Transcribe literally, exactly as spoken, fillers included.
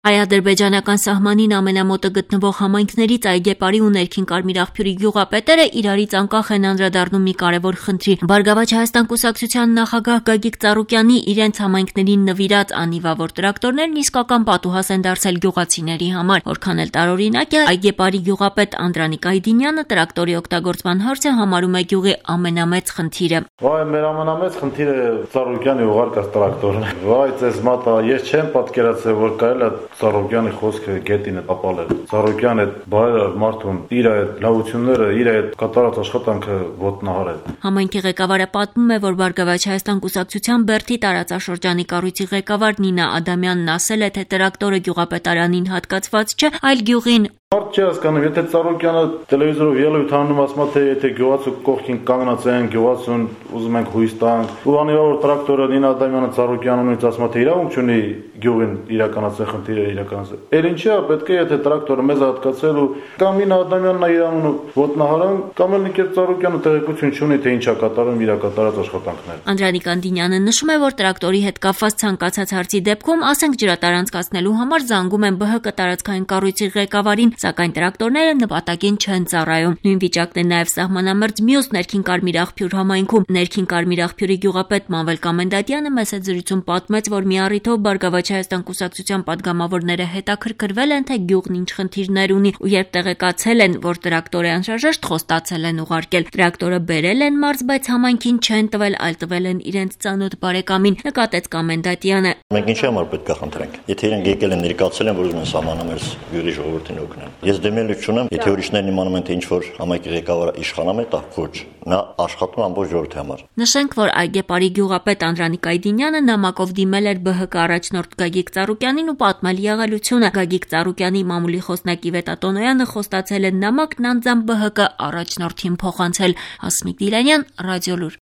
Հայ-ադրբեջանական սահմանին ամենամոտը գտնվող համայնքներից Այգեպարի ու Ներքին Կարմիր աղբյուրի գյուղապետերը իրարից անկախ են անդրադառնում մի կարևոր խնդրի։ Բարգավաճ Հայաստան կուսակցության նախագահ Գագիկ Ծառուկյանի իրենց համայնքներին նվիրած անիվավոր տրակտորներն իսկական պատուհաս են դարձել գյուղացիների համար։ Որքան էլ տարօրինակ է, Այգեպարի գյուղապետ Անդրանիկ Այդինյանը տրակտորի օգտագործման հարցը համարում է գյուղի ամենամեծ խնդիրը։ Վայ, մեր ամենամեծ խնդիրը Ծառուկյանի ուղարկած տրակտորն է։ Վայ, ձեզ մատա, ես չեմ պատկերացել, որ կարելի է Ծառուկյանի խոսքը գետին է տապալել։ Ծառուկյանը բարեր մարդուն իր այդ լավությունները, իր այդ կատարած աշխատանքը ոտնահարել։ Համայնքի ղեկավարը պատմում է, որ Բարգավաճ Հայաստան կուսակցության Բերդի տարածաշրջանի կառույցի ղեկավար Նինա Ադամյանն ասել է, թե տրակտորը գյուղապետարանին հատկացված չէ, այլ գյուղին։ Մարդ չի հասկանում, եթե Ծառուկյանը տելևիզորով ելույթ անում, ասում է, թե եթե գյուղացու կողքին կանգնած են, գյուղացուն ուզում ենք հույս տանք, ու անիվավոր տրակտորը Նինա Ադամյանը Ծառուկյանունից ասում է, թե իրավունք չունի գյուղին իրականացնել խնդիրը իրականացնել։ Էլ ինչի է պետք է եթե տրակտորը մեզ հատկացել ու կամ Նինա Ադամյանն է իր անունը ոտնահարան, կամ էլ Նիկետ Ծառուկյանը տեղեկություն չունի, թե ինչ է կատարում իր կատարած աշխատանքները։ Անդրանիկ Այդինյանը նշում է, որ տրակտորի հետ կապված ցանկացած հարցի դեպքում, ասենք ջրատար անցկացնելու համար զանգում են ԲՀԿ տարածքային կառույցի ղեկավարին, սակայն տրակտորները նպատակին չեն ծառայում։ Նույն վիճակն է նաև սահմանամերձ մյուս Ներքին Կարմիր աղբյուր համայնքում։ Ներքին Կարմիր աղբյուրի գյուղապետ Մանվել Կամենդատյանը մեծ զրույցում պատմեց, որ մի առիթով Բարգավաճ Հայաստան կուսակցության падգամավորները հետաքրքրվել են, թե գյուղն ինչ խնդիրներ ունի, ու երբ տեղեկացել են, որ տրակտոր է անհրաժեշտ, խոստացել են ուղարկել։ Տրակտորը բերել են մարզ, բայց համայնքին չեն տվել, այլ տվել են իրենց ծանոթ բարեկամին, նկատեց Կամենդատյանը։ Մենք ինչի համար պետք է խնդրենք։ Եթե իրենք եկել են ներկայացել են, որ ուզում են սահմանամերձ գյուղի ժողովրդին օգնել։ Ես դեմելուց չունեմ, եթե ուրիշներն իմանում են, թե ինչ որ համայնքի ղեկավարը իշխանամ է, դա ոչ։ Նա աշխատում ամբողջ ժողովրդի համար։ Նշենք, որ Այգեպարի գյուղապետ Անդրանիկ Այդինյանը նամակով դիմել էր ԲՀԿ առաջնորդ Գագիկ Ծառուկյանին ու պատմել եղելությունը։ Գագիկ Ծառուկյանի մամուլի խոսնակի Վետա Տոնոյանը խոստացել է նամակն անձամբ ԲՀԿ առաջնորդին փոխանցել։ Հասմիկ Դիլանյան, Ռադիոլուր։